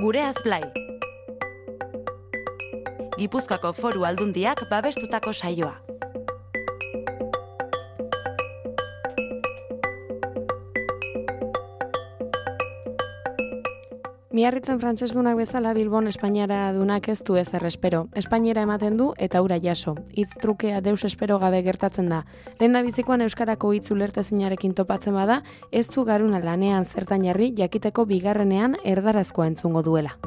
Gureaz Blai. Gipuzkoako Foru Aldundiak babestutako saioa. Miarritzen frantsesdunak bezala Bilbon Espainiara dunak ez du ezer espero. Espainiera ematen du eta hura jaso. Hitz trukea deus espero gabe gertatzen da. Lehendabizikoan euskarako hitz ulertezinarekin topatzen bada, ez du garuna lanean zertan jarri jakiteko bigarrenean erdarazkoa entzungo duela.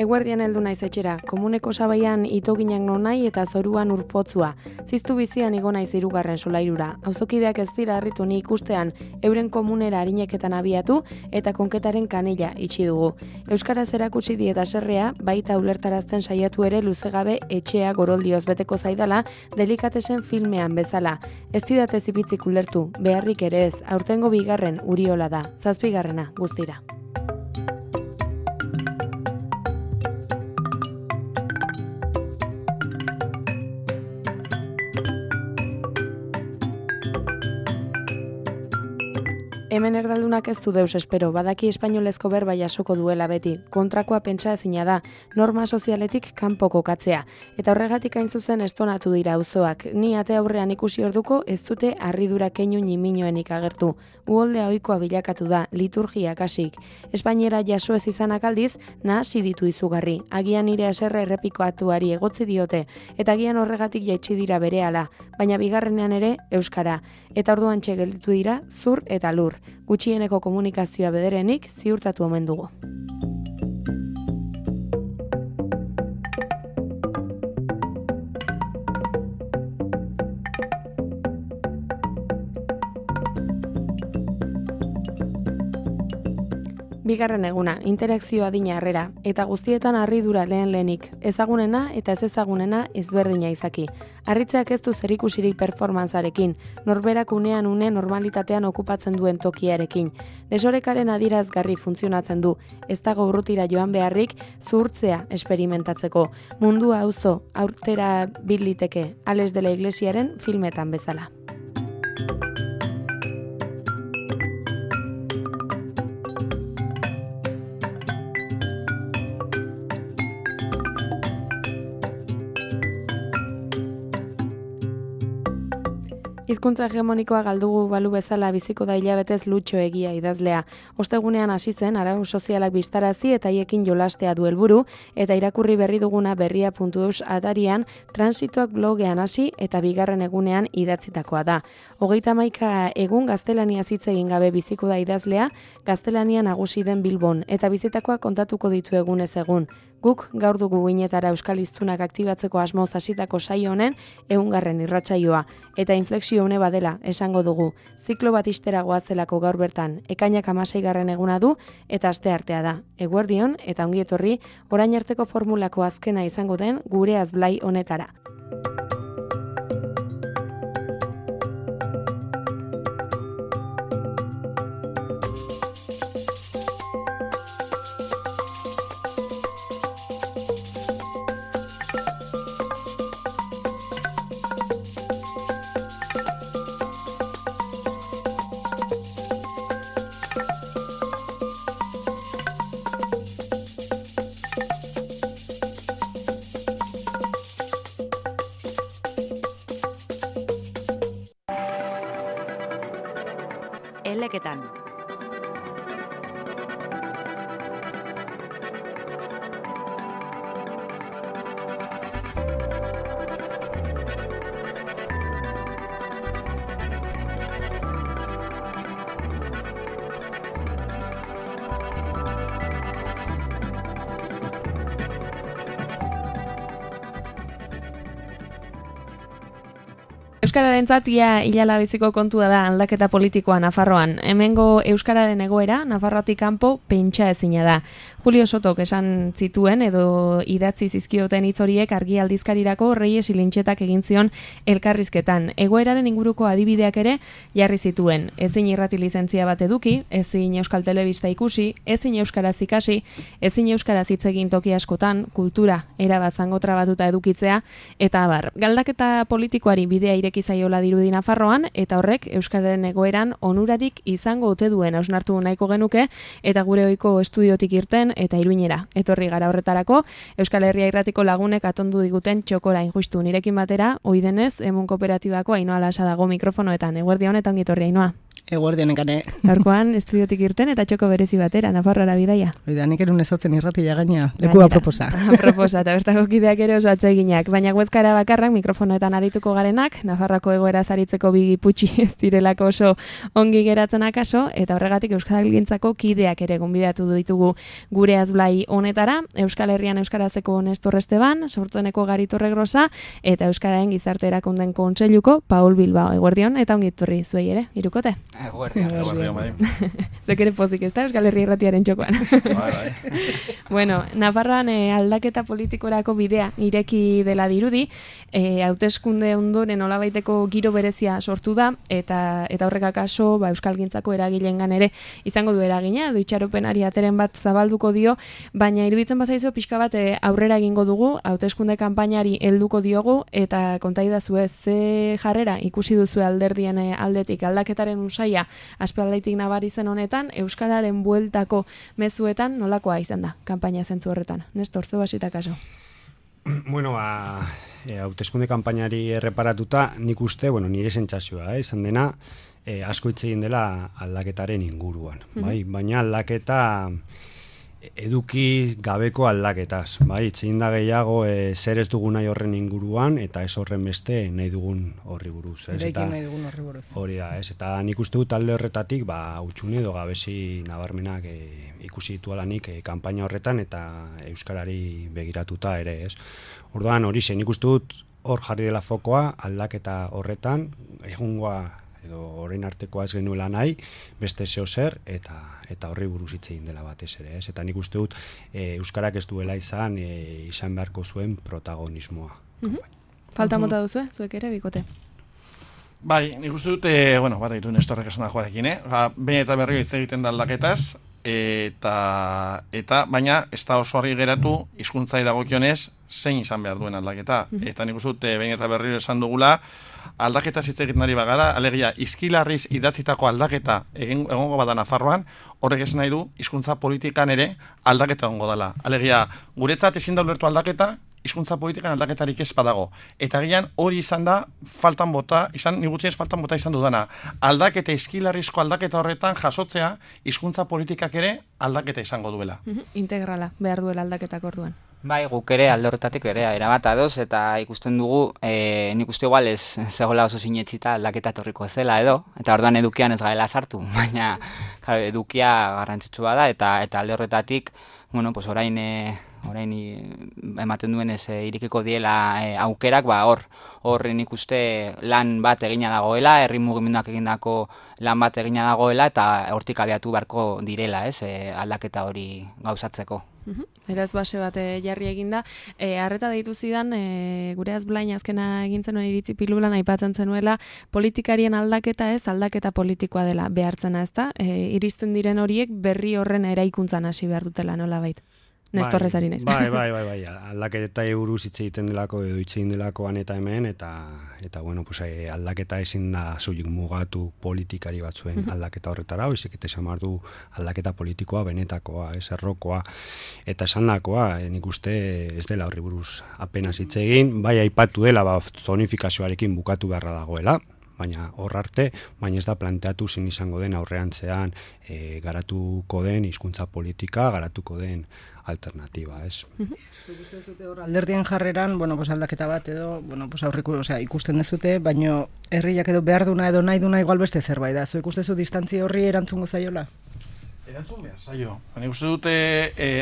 Eguerdian heldu naiz etxera, komuneko sabaian itoginak nonai eta zoruan urpotzua. Ziztu bizian igo naiz 3. solairura. Auzokideak ez dira harritu ni ikustean, euren komunera arineketan abiatu eta konketaren kanela itxi dugu. Euskaraz erakutsi dieta serrea, baita ulertarazten saiatu ere luzegabe etxea goroldioz beteko zaidala, delikatesen filmean bezala. Ez didatez ipitzik ulertu, beharrik ere ez, aurtengo 2. Uriola da, 7. guztira. Hemen erdaldunak ez du deus espero, badaki espainolezko berba jasoko duela beti. Kontrakoa pentsa ezina da, norma sozialetik kanpo kokatzea. Eta horregatik hain zuzen estonatu dira auzoak. Ni ate aurrean ikusi orduko ez dute harridura keinu niminoenik agertu. Uholdea ohikoa bilakatu da, liturgia kasik. Espainiera jaso ez izanak aldiz, nahasi ditu izugarri. Agian nire haserre errepikoatuari egotzi diote, eta agian horregatik jaitsi dira berehala, baina bigarrenean ere euskara. Eta orduan gelditu dira zur eta lur. Gutxieneko komunikazioa bederenik ziurtatu omen dugu. Bigarren eguna, interakzioa adina harrera, eta guztietan harridura lehenik, ezagunena eta ez ezagunena ezberdina izaki. Harritzeak ez du zerikusirik performantzarekin, norberak unean une normalitatean okupatzen duen tokiarekin. Desorekaren adierazgarri funtzionatzen du, ez dago urrutira joan beharrik zuhurtzea esperimentatzeko. Mundua auzo aurtera biliteke, Ales de la Iglesiaren filmetan bezala. Hizkuntza hegemonikoa galdugu balu bezala biziko da hilabetez Lutxo Egia idazlea. Ostegunean hasi zen arau sozialak bistarazi eta haiekin jolastea du helburu eta irakurri berri duguna berria.eus atarian transitoak blogean hasi eta 2. egunean idatzitakoa da. 31 egun gaztelaniaz hitz egin gabe biziko da idazlea, gaztelania nagusi den Bilbon eta bizitakoa kontatuko ditu egunez egun. Guk gaur dugu guinetara euskal hiztunak aktibatzeko asmoz hasitako saio honen 100. irratsaioa eta inflexio une badela esango dugu. Ziklo bat ixtera goazelako gaur bertan, ekainak 16. eguna du eta asteartea da. Eguerdion eta ongi etorri orain arteko formulako azkena izango den Gureaz Blai honetara. Eleketan. Euskararentzat ia hilala biziko kontua da aldaketa politikoa Nafarroan. Hemengo euskararen egoera Nafarroatik kanpo pentsa ezina da. Julio Sotok esan zituen edo idatzi zizkioten hitz horiek argi aldizkarirako Reyes Ilintxetak egin zion elkarrizketan. Egoeraren inguruko adibideak ere jarri zituen. Ezin irrati lizentzia bat eduki, ezin euskal telebista ikusi, ezin euskaraz ikasi, ezin euskaraz hitz egin toki askotan, kultura erabat zangotrabatuta edukitzea, eta abar. Galdaketa politikoari bidea ireki zaiola dirudi Nafarroan, eta horrek euskararen egoeran onurarik izango ote duen hausnartu nahiko genuke, eta gure ohiko estudiotik irten eta Iruñera. Etorri gara horretarako, Euskal Herria Irratiko lagunek atondu diguten txokora injustu nirekin batera, oidenez, Emun Kooperatibako Ainhoa Lasa dago mikrofonoetan. Eguerdi honetan gitorri, Ainhoa. Eguerdionekane. Gaurkoan estudiotik irten eta txoko berezi batera, Nafarroara bidaia. Oida, nik erun ezautzen irratia gaina, leku aproposa. Aproposa, eta bertako kideak ere oso atseginak. Baina Huescara bakarrak mikrofonoetan arituko garenak, Nafarroako egoera zaritzeko bigiputxi ez direlako oso ongi geratzen akaso, eta horregatik Euskalgintzako kideak ere gonbidatu ditugu gure azblai honetara, Euskal Herrian Euskarazeko Nestor Esteban, Sortueneko Garitorre Grosa, eta Euskararen Gizarte Erakunden Kontseiluko Paul Bilbao. Eguerdion, eta ongitorri zuei ere, irukote. Eguerdion, bai. Zek ere pozik ez da, Euskal Herria Irratiaren txokoan. Bai. Bueno, Nafarroan aldaketa politikorako bidea ireki dela dirudi, hauteskunde ondoren nolabaiteko giro berezia sortu da, eta horrek akaso Euskalgintzako eragilengan ere izango du eragina, edo itxaropenari ateren bat zabalduko dio, baina iruditzen bazaizu pixka bat aurrera egingo dugu, hauteskunde kanpainari helduko diogu, eta kontaidazu ez, ze jarrera ikusi duzu alderdien aldetik aldaketaren usaia aspaldaitik nabari zen honetan, euskararen bueltako mezuetan nolakoa izan da, kanpaina zentzu horretan. Nestor, zeu hasita kaso. Bueno, hauteskunde kanpainari erreparatuta, nik uste, nire sentsazioa, izan dena, asko hitz egin dela aldaketaren inguruan, bai? Baina aldaketa eduki gabeko aldaketaz, bai? Hitz egin da gehiago zer ez dugun nahi horren inguruan, eta ez horren beste nahi dugun horri buruz. Eraikin nahi dugun horri buruz. Hori da, ez? Eta nik uste dut alde horretatik, utxune edo gabezi nabarmenak ikusi ditualanik kanpaina horretan, eta euskarari begiratuta ere, ez? Orduan hori zen, nik uste dut hor jarri dela fokoa aldaketa horretan, egungoa edo orain artekoa ez genuela nahi, beste zeo zer, eta horri buruz hitz egin dela batez ere, ez? Eta nik uste dut euskarak ez duela izan beharko zuen protagonismoa. Falta mota duzu, zuek ere, bikote? Bai, nik uste dut, bat egiten Nestorrek esan da joarekin, behin eta berriro hitz egiten da aldaketaz, eta baina ez da oso argi geratu hizkuntzai dagokionez zein izan behar duen aldaketa. Eta nik uste dut behin eta berriro esan dugula, aldaketa hitz egiten ari bagara, alegia izkilarriz idatzitako aldaketa egongo bada Nafarroan, horrek esan nahi du hizkuntza politikan ere aldaketa egongo dela. Alegia, guretzat ezin da ulertu aldaketa, hizkuntza politikan aldaketarik ez badago. Eta gian hori izan da nigutzienez faltan bota izan dudana. Aldaketa izkilarrizko aldaketa horretan jasotzea hizkuntza politikak ere aldaketa izango duela. Integrala behar duela aldaketak orduan. Bai, guk ere alde horretatik ere erabat adoz, eta ikusten dugu, nik uste igual ez zegoela oso sinetsita aldaketa etorriko zela edo, eta orduan edukian ez gaela sartu, baina edukia garrantzitsua da, eta alde horretatik, orain ematen duen ez irikiko diela aukerak, hor nik uste lan bat egina dagoela, herri mugimenduak egindako lan bat egina dagoela, eta hortik abiatu beharko direla, aldaketa hori gauzatzeko. Eraz base bat jarri eginda. Arreta deitu zidan, gure azblain azkena egin zenuen iritzi pilulan aipatzen zenuela, politikarien aldaketa ez, aldaketa politikoa dela behartzena, ezta? Iristen diren horiek berri horren eraikuntzan hasi behar dutela, nola bait? Nestorrez ari naiz. Bai, aldaketa buruz hitz egiten delako edo hitz egin delakoan eta hemen, eta aldaketa ezin da soilik mugatu politikari batzuen aldaketa horretara, baizik eta esan behar du aldaketa politikoa, benetakoa, errokoa, eta esandakoa, nik uste ez dela horri buruz apenas hitz egin, bai aipatu dela zonifikazioarekin bukatu beharra dagoela, baina hor arte, baina ez da planteatu zin izango den aurrerantzean garatuko den hizkuntza politika, garatuko den alternatiba, ez? Zuk uste duzute hor alderdien jarreran, aldaketa bat edo, aurreko, ikusten dezute, baina herriak edo behar duna edo nahi duna igual beste zerbait da. Zuk uste zu distantzia horri erantzungo zaiola? Erantzun behar, zailo. Nik uste dute,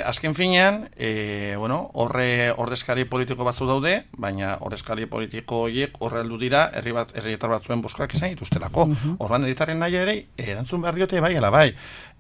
azken finean, ordezkari politiko batzu daude, baina ordezkari politiko horiek horre aldu dira, herrietar batzuen boskak izan dituztelako. Orban herritarren nahi ere, erantzun behar diote bai, ala bai.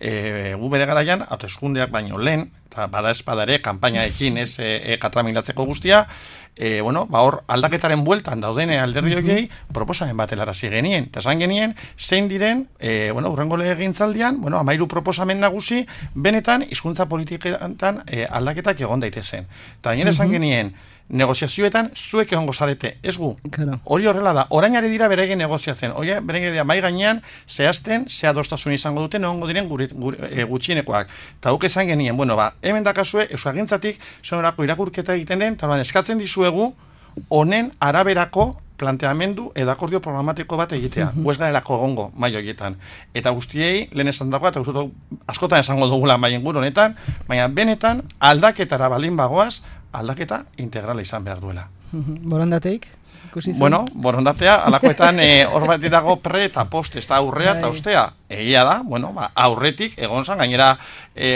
Gu bere garaian, hauteskundeak baino lehen, eta bada espadare, kanpainaekin ez katramilatzeko guztia, hor aldaketaren bueltan dauden alderdi horiei proposamen bat helarazi genien. Eta esan genien, zein diren, hurrengo legegintzaldian, 13 proposamen nagusi, benetan hizkuntza politiketan aldaketak egon daitezen. Eta gainera esan genien, negoziazioetan zuek egongo zarete, ez gu. Hori horrela da, orain ari dira beregen negoziatzen, beregen dira mai gainean zehazten, ze adostasun izango duten, egongo diren gutxienekoak. Eta guk esan genien, hemen dakazue, euskagintzatik, zonorako irakurketa egiten den, eta eskatzen dizuegu, honen araberako planteamendu edo akordio programatiko bat egitea. Guez garelako egongo, mai horietan. Eta guztiei, lehen esan dagoa, eta askotan esango dugula mai inguru honetan, baina benetan aldaketara balin bagoaz, aldaketa integrala izan behar duela. Borondateik? Borondatea, alakoetan hor bat dago pre eta post, ez da aurrea eta ostea. Egia da, aurretik, egon zan, gainera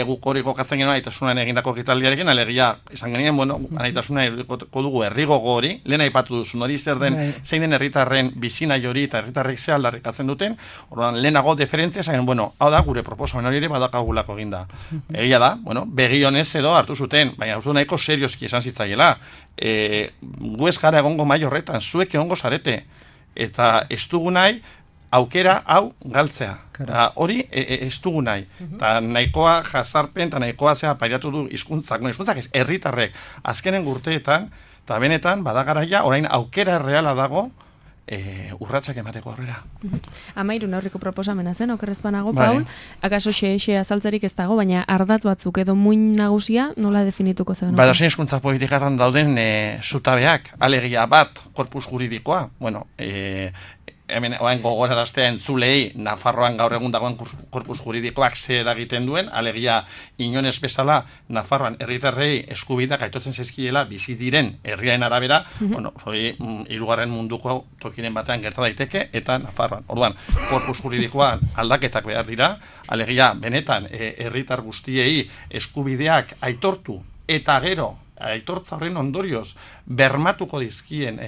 guk hori kokatzen genuen aitasunan egindako ekitaldiarekin, alegia, esan genien, aitasunan egindako dugu herrigogo hori, lehen aipatu duzun hori zer den, zein den herritarren bizinai hori eta herritarrek ze aldarrikatzen duten, orduan lehenago deferentzia, esan genuen, hau da, gure proposamen hori ere badakagulako eginda. Egia da, begi honez edo hartu zuten, baina uste nahiko serioski esan zitzaiela. Gu ez gara egongo mai horretan, zuek egongo zarete, eta ez dugu nahi aukera hau galtzea. Hori ez dugu nahi. Eta nahikoa jazarpen, eta nahikoa pairatu du hizkuntzak ez herritarrek azkenen urteetan, eta benetan badagaraia orain aukera erreala dago urratsak emateko aurrera. 13 aurreko proposamena zen, okerrezpanago, Paul, akaso xe azaltzerik ez dago, baina ardatz batzuk edo muin nagusia nola definituko zen? Zein hizkuntza politikatan dauden zutabeak, alegia bat, korpus juridikoa, hemen gogoraraztea entzulei Nafarroan gaur egun dagoen korpus juridikoak zer egiten duen, alegia inonez bezala Nafarroan herritarrei eskubideak aitortzen zaizkiela bizi diren herriaren arabera, hori hirugarren munduko tokiren batean gerta daiteke eta Nafarroan. Orduan, korpus juridikoan aldaketak behar dira, alegia benetan herritar guztiei eskubideak aitortu eta gero aitortza horren ondorioz bermatuko dizkien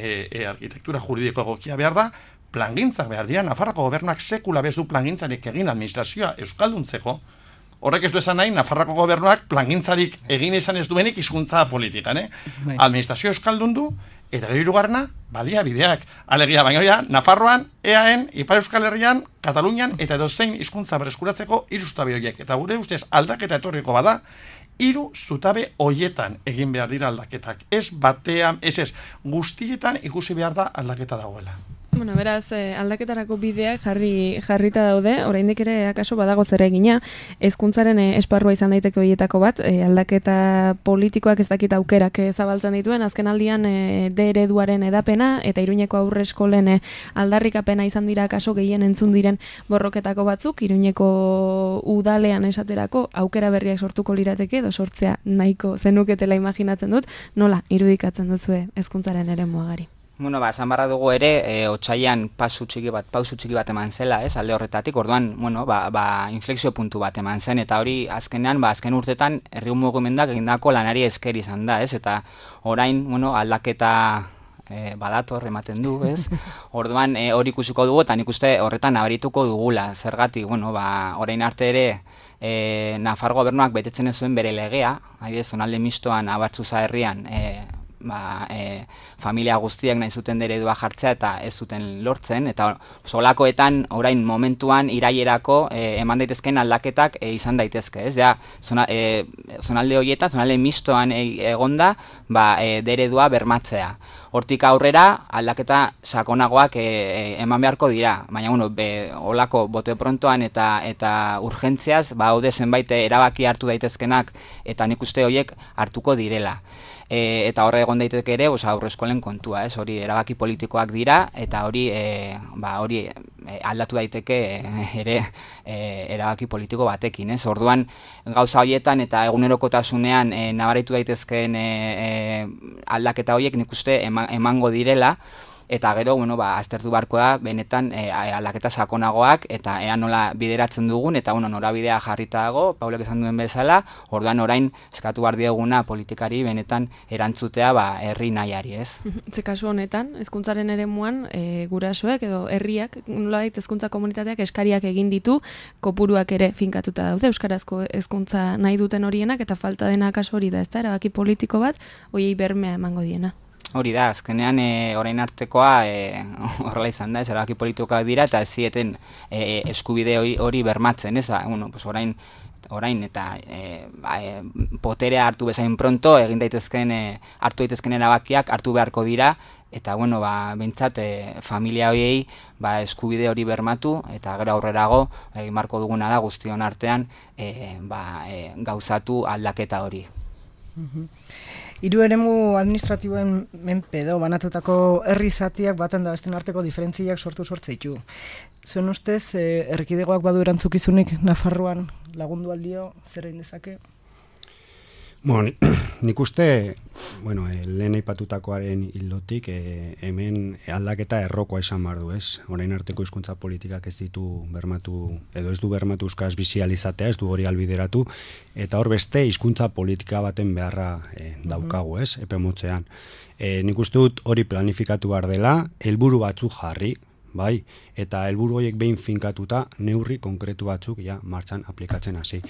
arkitektura juridiko egokia behar da, plangintzak behar dira, Nafarroko gobernuak sekula bez du plangintzarik egin administrazioa euskalduntzeko, horrek ez du esan nahi, Nafarroko gobernuak plangintzarik egin izan ez duenik hizkuntza politikan, administrazioa euskaldundu, eta gero hirugarrena, baliabideak. Alegia, baina hori da, Nafarroan, EAen, Ipar Euskal Herrian, Katalunian, eta edozein hizkuntza berreskuratzeko 3 zutabe horiek. Eta gure ustez aldaketa etorriko bada, 3 zutabe hoietan egin behar dira aldaketak. Ez batean, ez, guztietan ikusi behar da aldaketa dagoela. Beraz, aldaketarako bideak jarrita daude, oraindik ere akaso badago zer egina, hezkuntzaren esparrua izan daiteke horietako bat, aldaketa politikoak ez dakit aukerak zabaltzen dituen, azken aldian D ereduaren edapena, eta Iruñeko aurreskolen aldarrikapena izan dira akaso gehien entzun diren borroketako batzuk, Iruñeko udalean esaterako aukera berriak sortuko lirateke, edo sortzea nahiko zenuketela imaginatzen dut, nola irudikatzen duzue hezkuntzaren eremuagari? Esan barra dugu ere, otsailean pausu txiki bat eman zela, alde horretatik, orduan, inflexio puntu bat eman zen, eta hori azkenean, azken urtetan, herri mugimenduak egindako lanari esker izan da, eta orain, aldaketa badator ematen du, orduan, hori ikusiko dugu, eta nik uste horretan nabarituko dugula, zergatik, orain arte ere, Nafar gobernuak betetzen ez zuen bere legea, zonalde mistoan, Abartzuza herrian, familia guztiak nahi zuten eredua jartzea eta ez zuten lortzen, eta solakoetan orain momentuan irailerako eman daitezkeen aldaketak izan daitezke, zonalde horietan, zonalde mistoan egonda, eredua bermatzea. Hortik aurrera aldaketa sakonagoak eman beharko dira, baina olako bote prontoan eta urgentziaz, haude zenbait erabaki hartu daitezkenak eta nik uste horiek hartuko direla. Eta horre egon daiteke ere, aurreskolen kontua, hori erabaki politikoak dira, eta hori aldatu daiteke ere erabaki politiko batekin, orduan gauza horietan eta egunerokotasunean nabaritu daitezkeen aldaketa horiek nik uste emango direla, eta gero, bueno, aztertu beharko da, benetan aldaketa sakonagoak, eta ea nola bideratzen dugun, eta bueno, norabidea jarrita dago, Paulek esan duen bezala, orduan orain eskatu behar dieguna politikari benetan erantzutea herri nahiari, ez? Ze kasu honetan, hezkuntzaren eremuan, gurasoek edo herriak, nolabait hezkuntza komunitateak eskariak egin ditu, kopuruak ere finkatuta daude, euskarazko hezkuntza nahi duten horienak, eta falta dena kasu hori da, ez da, erabaki politiko bat, hoiei bermea emango diena. Hori da, azkenean orain artekoa horrela izan da, ez erabaki politikoak dira, eta ez zieten eskubide hori bermatzen, ez? Bueno, pues orain eta poterea hartu bezain pronto, hartu daitezken erabakiak hartu beharko dira, eta bueno, behintzat familia horiei eskubide hori bermatu, eta gero aurrerago egin beharko duguna da guztion artean gauzatu aldaketa hori. Hiru eremu administratiboen menpe edo banatutako herri zatiak baten da besten arteko diferentziak sortzeitu. Zuen ustez, erkidegoak badu erantzukizunik Nafarroan lagundu aldio, zer egin dezake? Bueno, nik uste, bueno, lehen aipatutakoaren ildotik, hemen aldaketa errokoa izan behar du, ez? Orain arteko hizkuntza politikak ez ditu bermatu, edo ez du bermatu euskaraz bizializatea, ez du hori albideratu, eta hor beste hizkuntza politika baten beharra daukagu, ez? Epe motzean. Nik uste dut hori planifikatu behar dela, helburu batzuk jarri, bai, eta helburu horiek behin finkatuta neurri konkretu batzuk martxan aplikatzen hasi.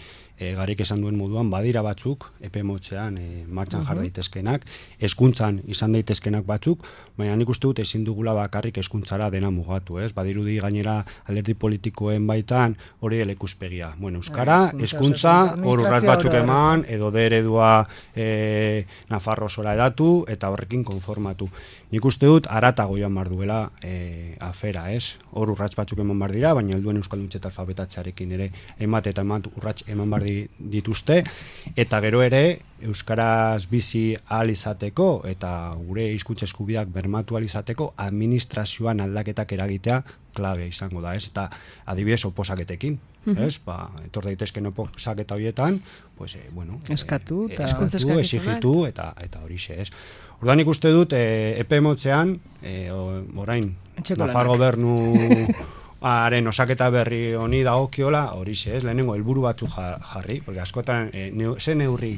Garik esan duen moduan badira batzuk epe motzean martxan jar daitezkenak, hezkuntzan izan daitezkenak batzuk, baina nik uste dut ezin dugula bakarrik hezkuntzara dena mugatu, ez? Badirudi gainera alderdi politikoen baitan hori dela ikuspegia. Bueno, euskara, hezkuntza, hor urrats batzuk eman edo de eredua Nafarro zora edatu eta horrekin konformatu. Nik uste dut haratago joan behar duela afera, ez? Hor urrats batzuk eman behar dira, baina helduen euskalduntze eta alfabetatzearekin ere emat urrats eman behar dituzte, eta gero ere euskaraz bizi ahal izateko eta gure hizkuntza eskubideak bermatu ahal izateko administrazioan aldaketak eragitea klabe izango da, ez? Eta adibidez oposaketekin, ez? Etor daitezken oposaketa horietan, pues, bueno, eskatu, exigitu, eta horixe, ez? Orduan ikuste dut, epe motzean, orain, Nafar gobernu haren osaketa berri honi dagokiola, horixe, ez? Lehenengo helburu batzu jarri, porque askotan, ze neurri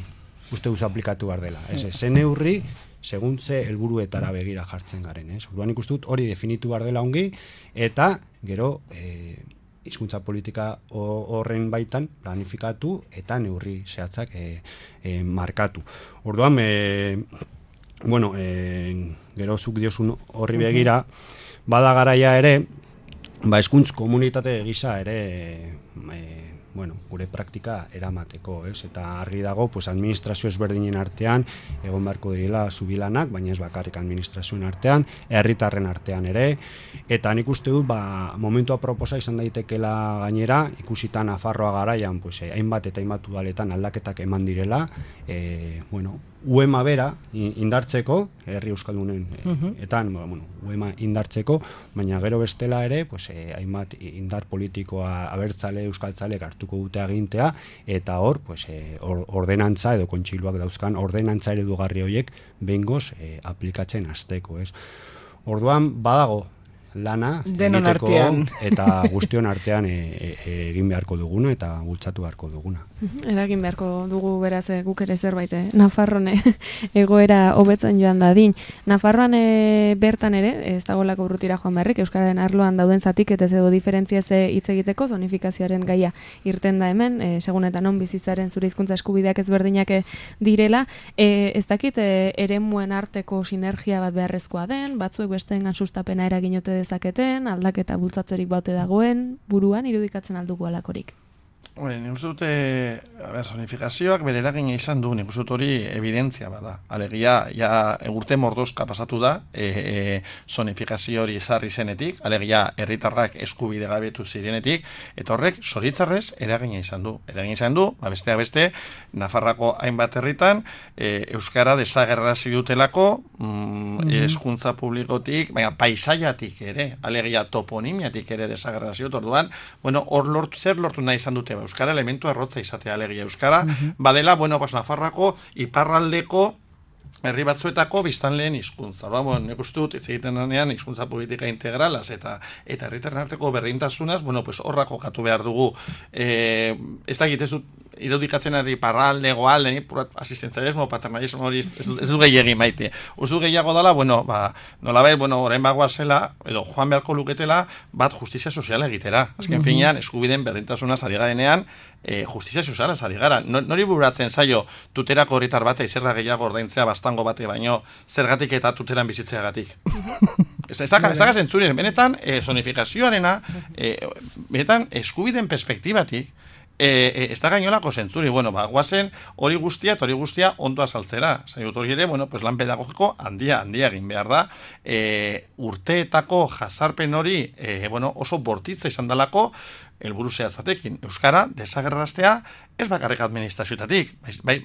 uste duz aplikatu behar dela, ez? Ze neurri, segun ze helburuetara begira jartzen garen, ez? Orduan ikuste dut hori definitu behar dela ongi, eta gero hizkuntza politika horren baitan planifikatu eta neurri zehatzak markatu. Orduan, bueno, gero zuk diozun horri begira, bada garaia ere, hizkuntz komunitate gisa ere, bueno, gure praktika eramateko, ez? Eta argi dago, pues, administrazio ezberdinen artean egon beharko direla zubilanak, baina ez bakarrik administrazioen artean, herritarren artean ere, eta nik uste dut, momentua proposa izan daitekela gainera, ikusita Nafarroa garaian, pues, hainbat eta hainbat udaletan aldaketak eman direla, bueno, UEMA bera indartzeko, herri euskaldunen, bueno, UEMA indartzeko, baina gero bestela ere, pues, hainbat indar politikoa abertzale, euskaltzale hartuko dute agintea, eta hor, pues, ordenantza edo kontsiluak dauzkan, ordenantza eredugarri horiek behingoz aplikatzen hasteko, ez? Orduan, badago lana denon egiteko artean eta guztion artean egin beharko duguna eta bultzatu beharko duguna. Eragin beharko dugu beraz guk ere zerbait Nafarroan egoera hobetzen joan dadin. Nafarroan bertan ere ez dagolako urrutira joan beharrik euskararen arloan dauden zatiketez edo diferentziaz hitz egiteko zonifikazioaren gaia irten da hemen, segun eta non bizitzaren zure hizkuntza eskubideak ezberdinak direla, ez dakit eremuen arteko sinergia bat beharrezkoa den, batzuek besteengan sustapena eragin ote dezaketen, aldaketa bultzatzerik baute dagoen, buruan irudikatzen aldugu alakorik. Nik uste dute, zonifikazioak bere eragina izan du, nik uste dut hori evidentzia bada. Alegia, urte mordozka pasatu da, zonifikazio hori ezarri zenetik, alegia, herritarrak eskubide gabetu zirenetik, eta horrek, zoritzarrez, eragina izan du. Eragina izan du, besteak beste, Nafarrako hainbat herritan, euskara desagerrazi dutelako, hezkuntza publikotik, baina paisaiatik ere, alegia, toponimiatik ere desagerrazi dut, orduan, bueno, hor zer lortu nahi izan dute, euskara elementu errotza izatea alegia. Euskara badela, bueno, Nafarrako iparraldeko herri batzuetako biztanleen hizkuntza. Nik uste dut, ez egiten denean hizkuntza politika integralaz eta herritarren arteko berdintasunaz, pues horra kokatu behar dugu. Ez da egitezut irudikatzen ari parralde, goalde, asistenzialismo, paternalismo hori ez du gehiagin maite. Uste du gehiago dela, nolabait, orain bagoa zela, edo joan beharko luketela, bat justizia soziala egitera. Azken finean, eskubideen berdintasunaz ari garenean, justizia soziala ari gara. Nori buratzen zaio tuterako herritar bate zerga gehiago ordaintzea bastango bate baino zergatik eta tuteran bizitzeagatik. Ez da zentzurien, benetan zonifikazioarena, benetan eskubideen perspektibatik, ez da gainolako zentzuri, guazen hori guztia ondo azaltzera. Zaigut hori ere, lan pedagogiko handia egin behar da. Urteetako jazarpen hori oso bortitza izan dalako, helburu zehatzatekin. Euskara desagerraztea ez bakarrik administrazioetatik,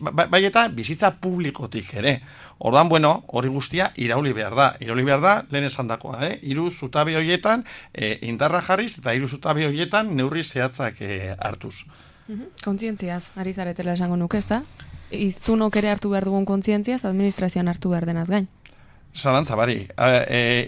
bai eta bizitza publikotik ere. Ordan, hori guztia irauli behar da. Irauli behar da, lehen esan dakoa, 3 zutabe horietan indarra jarriz eta 3 zutabe horietan neurri zehatzak hartuz. Kontzientziaz, ari zaretela esango nuke, ez da? Iztunok ere hartu behar dugun kontzientziaz, administrazioan hartu behar denaz gain. Zalantza, bari.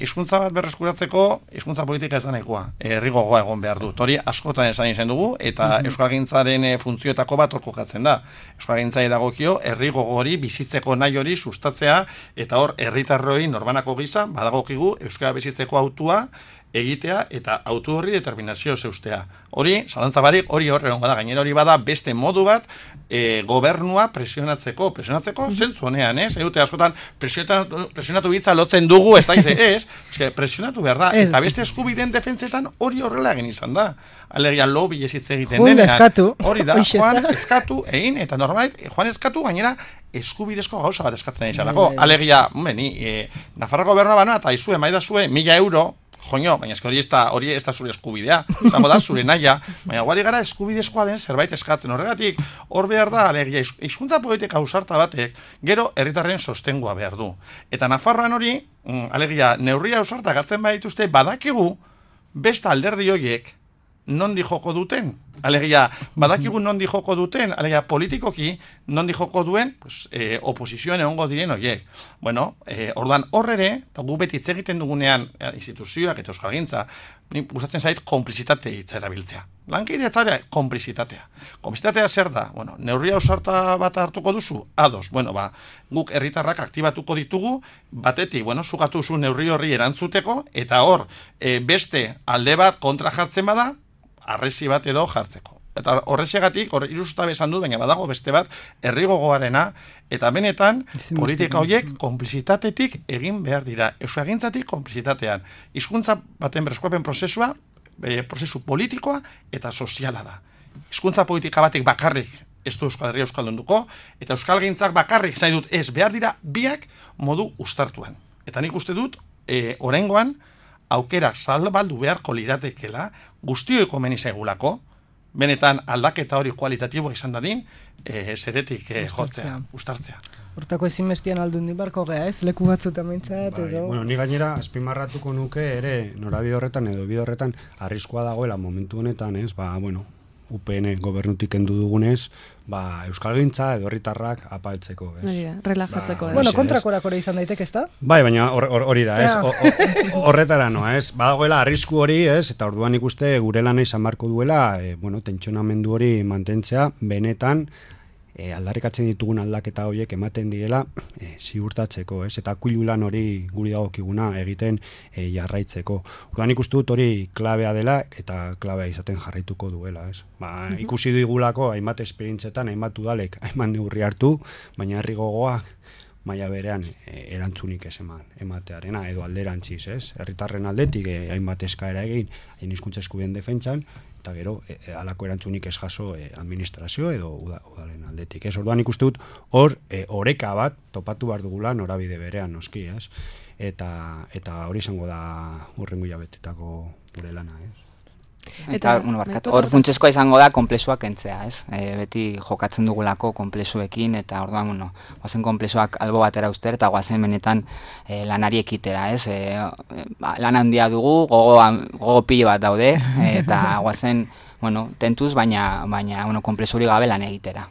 Hizkuntza bat berreskuratzeko, hizkuntza politika ez da nahikoa. Herri gogoa egon behar du. Hori askotan esan izan dugu, eta euskalgintzaren funtzioetako bat hor kokatzen da. Euskalgintzari dagokio, herri gogo hori, bizitzeko nahi hori sustatzea, eta hor, herritarroi norbanako gisa, badagokigu, euskara bizitzeko autua, egitea eta autu horri determinazio zeustea. Hori, zalantza barik, hori horre da. Gainera hori bada beste modu bat gobernua presionatzeko zentzu honean, ez? Edute askotan presionatu bitza lotzen dugu, ez da, presionatu behar da. Eta beste eskubideen defentsetan hori horrela egin izan da. Alegia lobby ez hitz egiten denean. Hori da, Juan eskatu egin, eta normait, Juan eskatu gainera eskubidezko gauza bat eskatzen izanako. Alegia, Nafarroa gobernua banoa, eta izue, maidazue, 1.000 euro, joño, baina hori ez da zure eskubidea, zango da zure naia, baina guari gara eskubidezkoa den zerbait eskatzen horregatik, hor behar da, alegia, hizkuntza politika ausarta batek, gero herritarren sostengoa behar du. Eta Nafarroan hori, alegia, neurria ausarta gatzen badituzte, badakigu, beste alderdi horiek, nondi joko duten, alegia, badakigu nondi joko duten, alegia, politikoki, nondi joko duen, oposizioan egongo diren horiek. Orduan horrere, eta gu beti hitz egiten dugunean instituzioak eta euskalgintza, gustatzen zait konplizitate hitza erabiltzea. Lankidea zara, konplizitatea. Konplizitatea zer da? Neurria ausarta bat hartuko duzu? Ados. Guk herritarrak aktibatuko ditugu, batetik, zugatu zu neurri horri erantzuteko, eta hor, beste alde bat kontra jartzen bada, arresi bat edo jartzeko. Eta horrezegatik, iruzutabe esan dut, baina badago beste bat, herri gogoarena, eta benetan, politika horiek konplizitatetik egin behar dira. Euskagintzatik konplizitatean. Hizkuntza baten berreskuapen prozesua, prozesu politikoa eta soziala da. Hizkuntza politika batek bakarrik ez du Euskal Herria euskaldunduko, eta euskalgintzak bakarrik zain dut ez behar dira biak modu ustartuan. Eta nik uste dut, oraingoan, aukera salbaldu beharko liratekela, guztioi komeni zaigulako, benetan aldaketa hori kualitatiboa izan dadin, zeretik jotzea, ustartzea. Hortako ezinbestian aldun dibarko gea, ez? Leku batzuta mintzat, edo... Ni gainera, azpimarratuko nuke ere, norabide horretan edo bide horretan, arriskua dagoela momentu honetan, ez? UPN gobernutik kendu dugunez, euskalgintza edo herritarrak apaltzeko, ez? Relajatzeko. Kontrakorakore izan daiteke, ez da? Bai, baina hori da, ez? Horretara noa, ez? Badagoela arrisku hori, ez? Eta orduan ikuste gure lana izan barko duela, tentsionamendu hori mantentzea, benetan, aldarrikatzen ditugun aldaketa horiek ematen direla ziurtatzeko, ez? Eta kuilu lan hori guri dagokiguna egiten jarraitzeko. Orduan ikuste dut hori klabea dela eta klabea izaten jarraituko duela, ez? Ikusi digulako hainbat esperientzetan, hainbat udalek, hainbat neurri hartu, baina herri gogoak maila berean erantzunik ez ematearena edo alderantziz, ez? Herritarren aldetik hainbat eskaera egin, hizkuntza eskubideen defentsan, eta gero, halako erantzunik ez jaso administrazio edo udalen aldetik. Orduan ikuste dut, hor, oreka bat topatu behar dugula norabide berean, noski, ez? Eta hori izango da hurrengo hilabetetako gure lana, ez? Eta, hor funtsezkoa izango da konplexuak kentzea, ez? Beti jokatzen dugulako konplexuekin, eta orduan, guazen konplexuak albo batera uster, eta guazen benetan lanari ekitera, ez? Lan handia dugu, gogo pilo bat daude, eta guazen, tentuz, baina konplexu hori gabe lan egitera.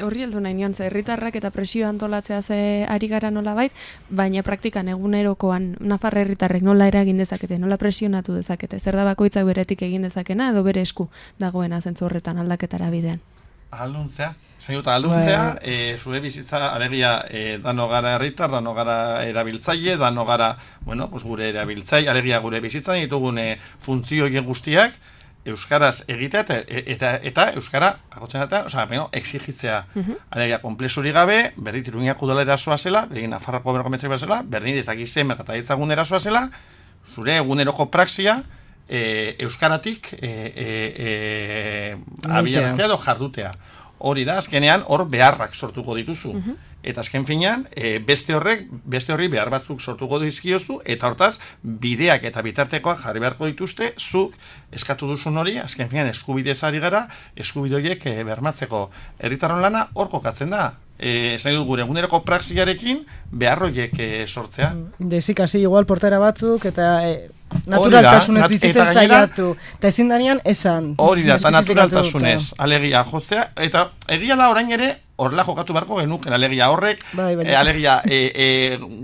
horri heldu nahi nion, herritarrak eta presio antolatzea ze ari gara nolabait, baina praktikan egunerokoan Nafar herritarrek nola eragin dezakete, nola presionatu dezakete, zer da bakoitzak beretik egin dezakena edo bere esku dagoena zentzu horretan aldaketara bidean. Alduntzea, zure bizitza, alegia, dano gara herritar, dano gara erabiltzaile, dano gara, gure erabiltzaile, alegia gure bizitzan ditugun funtzio guztiak, euskaraz egitea eta euskara agotzen exigitzea. Alegia, konplexuri gabe, berri Iruñako udala erasoa zela, begin Nafarroko gobernuko metzak zela, berri dezakizen merkataritzagun erasoa zela, zure eguneroko praxia, euskaratik abiaraztea edo jardutea. Hori da, azkenean, hor beharrak sortuko dituzu. Eta azken finean, beste horri behar batzuk sortuko dizkiozu, eta hortaz, bideak eta bitartekoak jarri beharko dituzte, zuk eskatu duzun hori, azken finean, eskubidez ari gara, eskubide horiek bermatzeko. Herritarron lana hor kokatzen da. Esan dut gure eguneroko praxiarekin behar horiek sortzea. Dezik hasi igual portera batzuk, eta naturaltasunez bizitzen saiatu. Eta ezin danean esan. Hori da, eta naturaltasunez alegia jotzea, eta egia da orain ere, horrela jokatu beharko genuken alegia horrek, alegia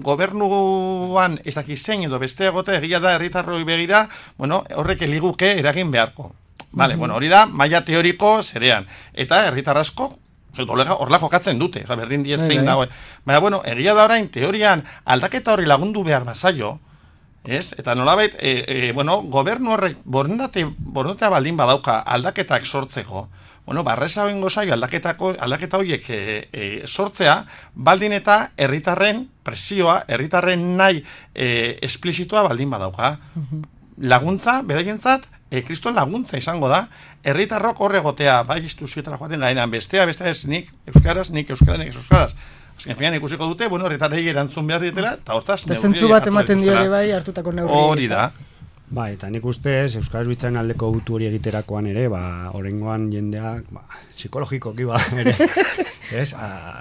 gobernuan ez daki zein edo beste egote, egia da herritarroi begira, horrek eliguke eragin beharko. Hori da, maila teoriko zerean. Eta herritar asko, horrela jokatzen dute, berdin diez zein dagoen. Baina, egia da orain, teorian aldaketa horri lagundu behar bazaio, eta nolabait, gobernu horrek borondatea baldin badauka aldaketak sortzeko, barresa bengo zaio aldaketa horiek sortzea, baldin eta herritarren presioa, herritarren nahi esplizitoa baldin badauka. Laguntza, beraientzat, kriston laguntza izango da, herritarrok horregotea, bai instituziotara joaten garenan, bestea ez nik euskaraz. Azken finean ikusiko dute, herritarrei erantzun behar dietela, eta hortaz neurri zentzu bat ematen diore bai hartutako neurri. Hori da. Ba, eta nik ustez, euskaraz bitzaren aldeko gutu hori egiterakoan ere, orengoan jendeak, psikologikoki ere,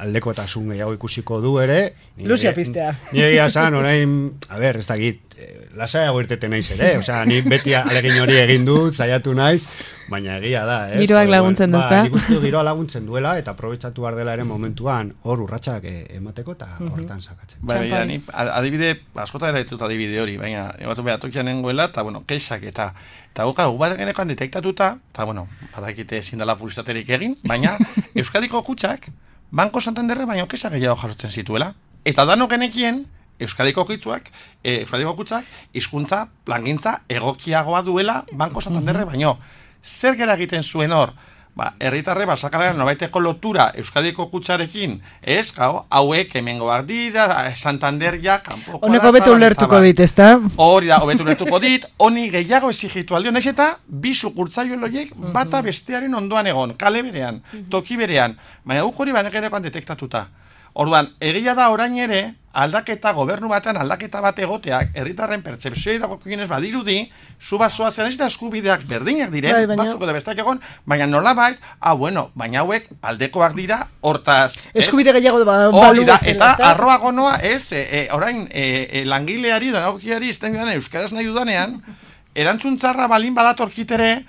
aldekotasun gehiago ikusiko du ere. Luzia piztea. Ni egia zan, orain, ez dakit, lasaiago irteten naiz ere, ni beti alegin hori egin dut, zaiatu naiz, baina egia da, Giroak laguntzen du, ezta? Nik uste giroa laguntzen duela, eta aprobetxatu behar dela ere momentuan hor urratsak emateko eta hortan sakatzen. Baina, ni adibide, askota era ditzut adibide hori, baina, egatu behar tokian nengoela, eta, keixak eta bat genekoan detektatuta, eta, badakite ezin dela publizitaterik egin, baina, Euskadiko kutxak, Banko Santanderre baino kexak gehiago jarrotzen zituela. Eta dano genekien, Euskadiko kutxak, hizkuntza plangintza egokiagoa duela Banko Santanderre baino. Zer gera egiten zuen hor? Herritarre basakalean nobaiteko lotura Euskadiko kutxarekin, hauek hemengoak dira, Santanderia, kanpokoa da. Honeko betu ulertuko dit, ezta? Hori da, hobetu ulertuko dit, honi gehiago exigitu aldion, ez eta bi sukurtzaio loiek bata bestearen ondoan egon, kale berean, toki berean, baina guk hori banegenekoan detektatuta. Orduan, egia da orain ere, gobernu batean aldaketa bat egoteak, herritarren pertzepzioa dagokienez badirudi, zu bazoa zen ez da eskubideak berdinak diren, batzuko da bestak egon, baina nolabait, baina hauek aldekoak dira, hortaz. Eskubide gehiago balu bezala. Eta arroa gonoa ez, orain langileari, donagokiari, izten dudanean, euskaraz nahi dudanean, erantzun txarra balin badatorkitere,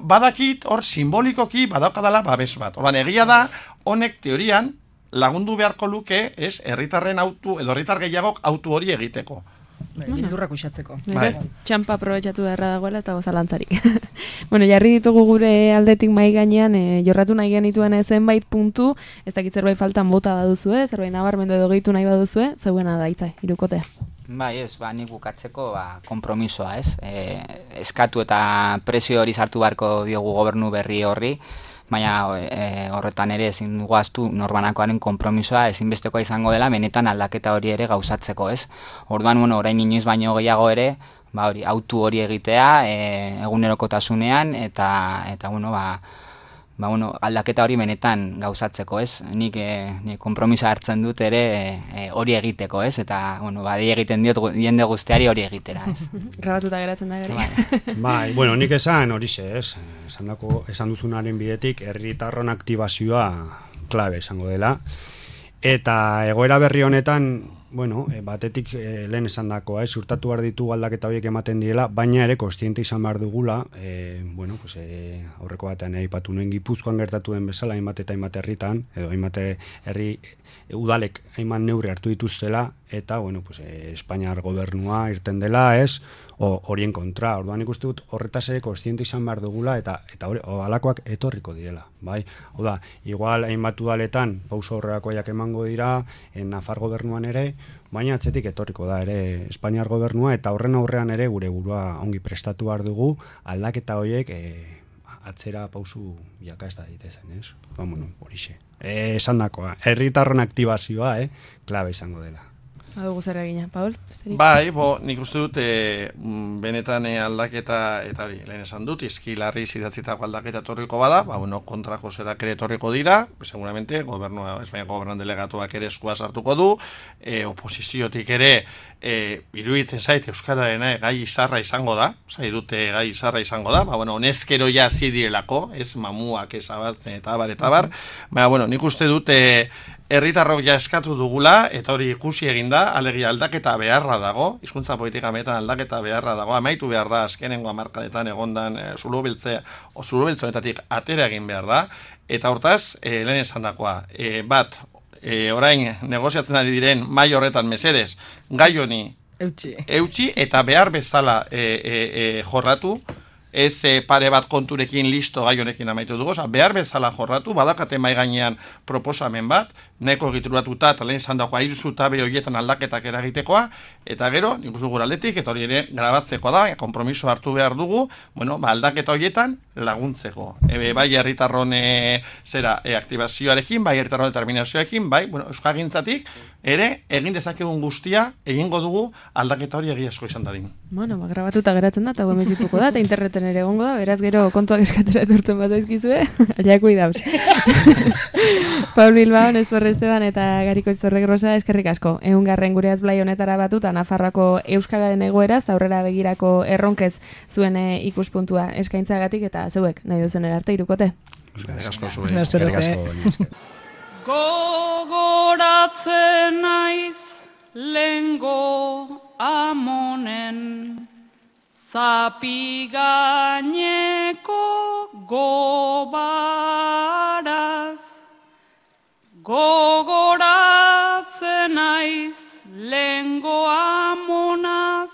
badakit hor simbolikoki badaukadala babes bat. Orduan, egia da, honek teorian, lagundu beharko luke, herritarren autu, edo herritar gehiagok autu hori egiteko. Bildurrak usatzeko. Txampa aprobetxatu beharra dagoela eta gozalantzarik. Jarri ditugu gure aldetik mai gainean, jorratu nahi genituen zenbait puntu, ez dakit zerbait faltan bota baduzue, zerbait nabarmendu edo gehitu nahi baduzue, zeuena da, Itza, hirukotea. Bai, nik bukatzeko konpromisoa, eskatu eta presio hori sartu beharko diogu gobernu berri horri, baina horretan ere ezin dugu ahaztu norbanakoaren konpromisoa ezinbestekoa izango dela benetan aldaketa hori ere gauzatzeko, ez? Orduan, orain inoiz baino gehiago ere, autu hori egitea egunerokotasunean eta aldaketa hori benetan gauzatzeko, ez? Nik konpromisa hartzen dut ere hori egiteko, ez? Eta, dei egiten diot jende guztiari hori egitera, ez? Grabatuta geratzen da gari. Bai, nik esan horixe, ez? Esan duzunaren bidetik, herritarron aktibazioa klabe izango dela. Eta egoera berri honetan, Bueno, batetik lehen esan dakoa, ziurtatu behar ditugu aldaketa horiek ematen direla, baina ere kostiente izan behar dugula, aurreko batean aipatu nuen Gipuzkoan gertatu den bezala, hainbat eta hainbat herritan, edo hainbat herri udalek hainbat neurri hartu dituztela, eta, Espainiar gobernua irten dela, horien kontra. Orduan ikuste dut horretaz ere kostiente izan behar dugula, eta halakoak etorriko direla, bai? Hau da, igual hainbat udaletan pauso horrelakoiak emango dira, Nafar gobernuan ere, baina atzetik etorriko da ere Espainiar gobernua, eta horren aurrean ere gure burua ongi prestatu behar dugu, aldaketa horiek atzera pausu jaka ez da ditezen, ez? Horixe. Esan dakoa, herritarron aktibazioa, klabe izango dela. Adugu zer egina, Paul? Bai, nik uste dut benetan aldaketa, eta hori, lehen esan dut, izkilarri zidatzitako aldaketa torriko bada, kontrako zerak ere torriko dira, seguramente, Espainiako gobernan delegatuak ere eskua sartuko du, oposiziotik ere, iruditzen zait, Euskararena gai izarra izango da, gai izarra izango da, honezkero ja zidirelako, ez mamuak ezabatzen eta bar, baina, nik uste dut, herritarrok ja eskatu dugula, eta hori ikusi eginda, alegia aldaketa beharra dago, hizkuntza politika metan aldaketa beharra dago, amaitu behar da, azkenengo hamarkadetan egondan zulubeltzonetatik atera egin behar da, eta hortaz, lehen esan dakoa, orain negoziatzen ari diren mai horretan mesedez, gai honi eutxi, eta behar bezala jorratu, ez pare bat konturekin listo gai honekin amaitu dugu, behar bezala jorratu, badakate mai gainean proposamen bat, neko egituratuta eta lehen zandakoa iruzutabe horietan aldaketak eragitekoa, eta gero, nik uste gure aldetik, eta hori ere grabatzekoa da, kompromiso hartu behar dugu, aldaketa horietan laguntzeko. Bai herritarron aktibazioarekin, bai herritarron determinazioarekin, bai, euskagintzatik, ere, egin dezakegun guztia, egingo dugu aldaketa hori egiazko izan dadin. Grabatuta geratzen da, eta gometituko da, eta interneten ere egongo da, beraz gero kontuak eskatera etortzen bat zaizkizue, allako idauz. Paul Bilbao, Nestor Esteban eta Gariko Itzorrek Rosa, eskerrik asko. 100. gure azblai honetara batuta Nafarroako euskararen egoeraz, aurrera begirako erronkez zuen ikuspuntua eskaintzagatik, eta zeuek, nahi duzen erarte irukote. Eskerrik asko zuen. Gogoratzen naiz lengo amonen zapi gaineko gobaraz. Gogoratzen naiz lengo amonaz,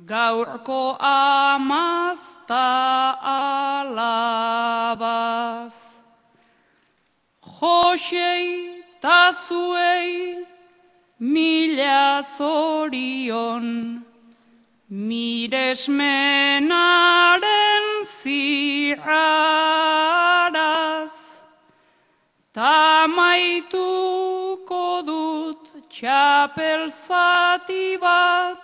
gaurko amaz ta alabaz. Josei ta zuei mila zorion, miresmenaren zirraraz. Tamaituko dut txapel zati bat,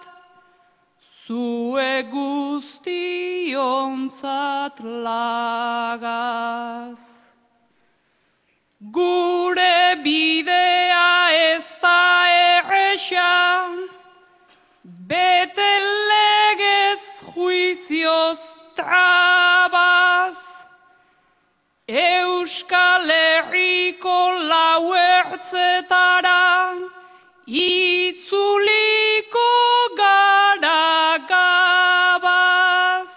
zue guztionzat lagaz. Gure bidea ez da erresa, bete legez juizioz trabaz. Euskal Herriko lau ertzetara itzuliko gara gabaz.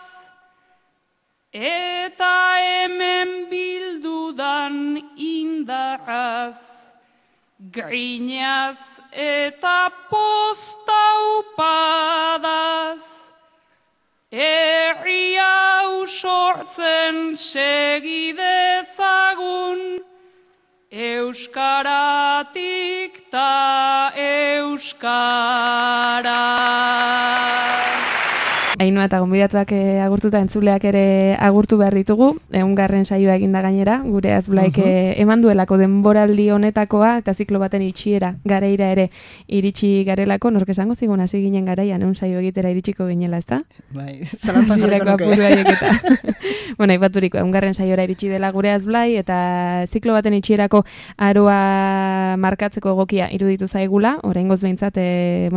Eta hemen bildudan indarraz, grinaz eta postaupadaz. Herri hau sortzen segidezagun, euskaratik ta euskara. Ainhoa eta gonbidatuak agurtuta entzuleak ere agurtu behar ditugu, 100. saioa eginda gainera, gure azblaik eman duelako denboraldi honetakoa, eta ziklo baten itxiera gareira ere iritsi garelako, nork esango zigun hasi ginen garaian, saio egitera iritsiko ginela, ezta? Bai, zalantzan jarriko nuke. Aipaturiko, 100. saiora iritsi dela gure azblai, eta ziklo baten itxierako aroa markatzeko egokia iruditu zaigula, oraingoz behintzat,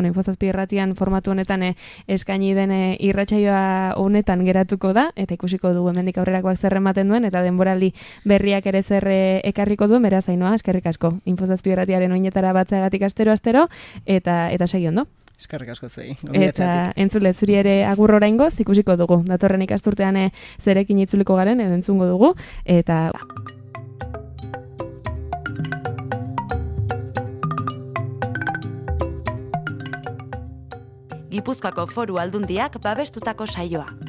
Infozazpi irratian formatu honetan eskaini den irratsaioa honetan geratuko da, eta ikusiko dugu hemendik aurrerakoak zer ematen duen, eta denboraldi berriak ere zer ekarriko duen, beraz Ainhoa, eskerrik asko. Infozazpi irratiaren oinetara batzeagatik astero, eta segi ondo. Eskerrik asko zuei. Eta entzule zuri ere agur oraingoz ikusiko dugu. Datorren ikasturtean zerekin itzuliko garen edo entzungo dugu, eta... Gipuzkoako Foru Aldundiak babestutako saioa.